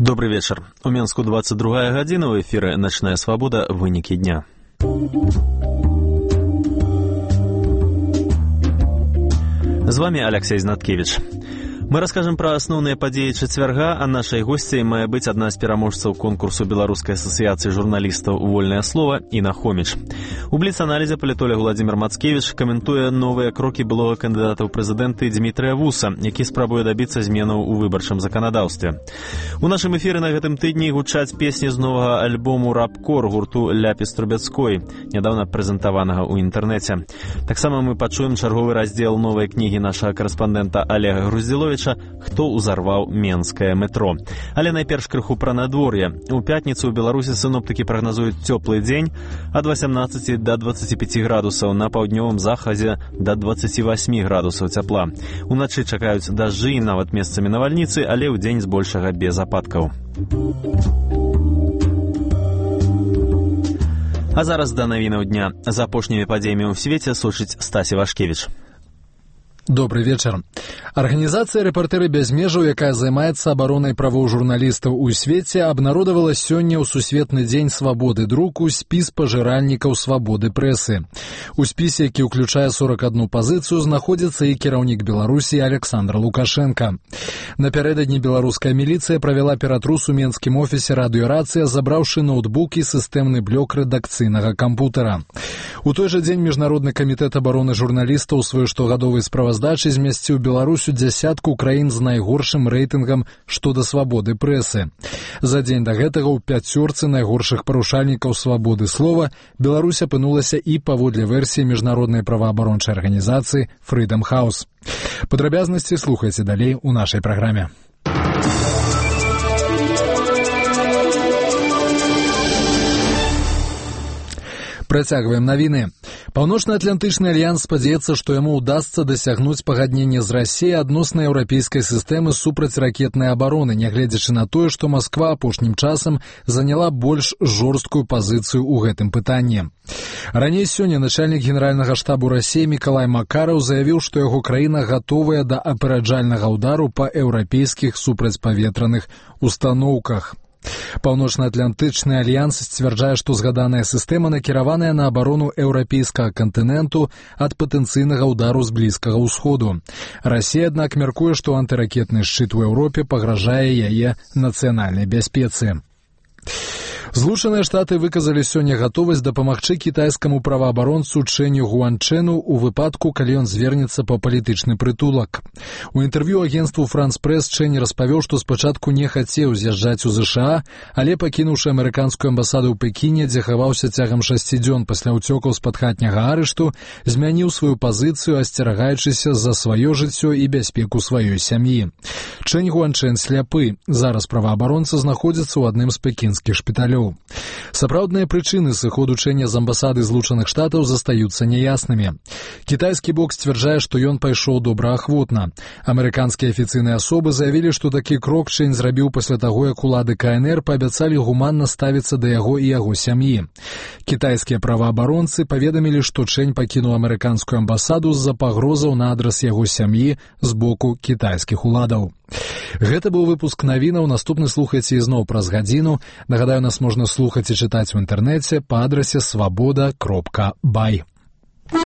Добрый вечер. У Менску 22 гадзіна, у эфіры «Начная свабода. Вынікі дня». З вами Алексей Знаткевич. Мы расскажем про основные подеи четверга, а нашей гостьей мае быць одна з пераможцаў конкурсу Беларускай асацыяцыі журналістаў «Вольнае слово» Інна Хоміч. У бліц-аналізе палітолог Владзімир Мацкевіч каментуе новыя крокі былога кандыдата ў прэзідэнты Дмітрыя Вуса, які спрабуе дабіцца зменаў у выбарчым заканадаўстве. У нашым эфіры на гэтым тыдні гучаць песні з новага альбому «Рапкор» гурту Ляпіс Трубецкой, нядаўна прэзентаванага ў інтэрнэце. Таксама мы пачуем чарговы раздзел новай кнігі нашага карэспандэнта Олега Груздзіловіча «Хто ўзарваў Менскае метро». Але найперш крыху пра надвор'е. У пятніцу ў Беларусі сіноптыкі прагназуюць цёплы дзень ад 18 до 25 градусаў, на паўднёвым захадзе до 28 градусаў цяпла. Уначы чакаюць дажджы і нават месцамі навальніцы, але ў дзень збольшага без ападкаў. А зараз да навінаў дня. За апошнімі падзеямі ў свеце сочыць Стасі Вашкевіч. Добрый вечер. Организация «Репортеры без межаў», якая займаецца абаронай правоў журналістаў у свеце, абнародавала сёння ў Сусветны дзень свабоды друку спіс пажыральнікаў свабоды прэсы. У спісе, які ўключае 41 пазіцыю, знаходзіцца і кіраўнік Беларусі Александр Лукашенко. Напярэдадні беларуская міліцыя правяла ператрус у менскім офісе радыёрацыя, забраўшы ноутбук і сістэмны блок рэдакцыйнага кампутара. У той жа дзень Міжнародны камітэт абароны журналістаў у сваёй штогадовай справаздачы змясціў Беларусь у дзясятку краін з найгоршым рэйтынгам што да свабоды прэсы. За дзень да гэтага ў пяцёрцы найгоршых парушальнікаў свабоды слова Беларусь апынулася і паводле версіі міжнароднай праваабарончай арганізацыі Freedom House. Падрабязнасці слухайце далей у нашай праграме. Працягваем навіны. Паўночна-атлантычны альянс спадзяецца, што яму ўдасца дасягнуць пагаднення з Расіяй адносна еўрапейскай сістэмы супрацьракетнай абароны, нягледзячы на тое, што Масква апошнім часам заняла больш жорсткую пазіцыю ў гэтым пытанні. Раней сёння начальнік генеральнага штабу Расіі Мікалай Макараў заявіў, што яго краіна гатовая да апераджальнага ўдару па еўрапейскіх супрацьпаветраных устаноўках. Паўночна-атлантычны альянс сцвярджае, што згаданая сістэма накіраваная на абарону еўрапейскага кантыненту ад патэнцыйнага ўдару з Блізкага ўсходу. Расія, аднак, мяркуе, што антыракетны шчыт у Еўропе пагражае яе нацыянальнай бяспецы. Злучаныя Штаты выказалі сёння гатовасць дапамагчы кітайскаму праваабаронцу Чэню Гуанчэну ў выпадку, калі ён звернецца па палітычны прытулак. У інтэрв'ю агенству «Франс Прэс» Чэнь распавёў, што спачатку не хацеў з'язджаць у ЗША, але, пакінуўшы амерыканскую амбасаду ў Пекіне, дзе хаваўся цягам 6 дзён пасля ўцёкаў з-пад хатняга арышту, змяніў сваю пазіцыю, асцерагаючыся за сваё жыццё і бяспеку сваёй сям'і. Чэнь Гуанчэн сляпы. Зараз праваабаронца знаходзіцца ў адным з пекінскіх шпіталёў. Сапраўдныя прычыны сыходу Чэня з амбасады Злучаных Штатаў застаюцца няяснымі. Кітайскі бок сцвярджае, што ён пайшоў добраахвотна. Амерыканскія афіцыйныя асобы заявілі, што такі крок Чэнь зрабіў пасля таго, як улады КНР паабяцалі гуманна ставіцца да яго і яго сям'і. Кітайскія праваабаронцы паведамілі, што Чэнь пакінуў амерыканскую амбасаду з-за пагрозаў на адрас яго сям'і з боку кітайскіх уладаў. Гэта быў выпуск навінаў. Наступны слухайце ізноў праз гадзіну. Нагадаю, нас можна слухаць і чытаць у інтэрнэце па адрасе свабода.бай.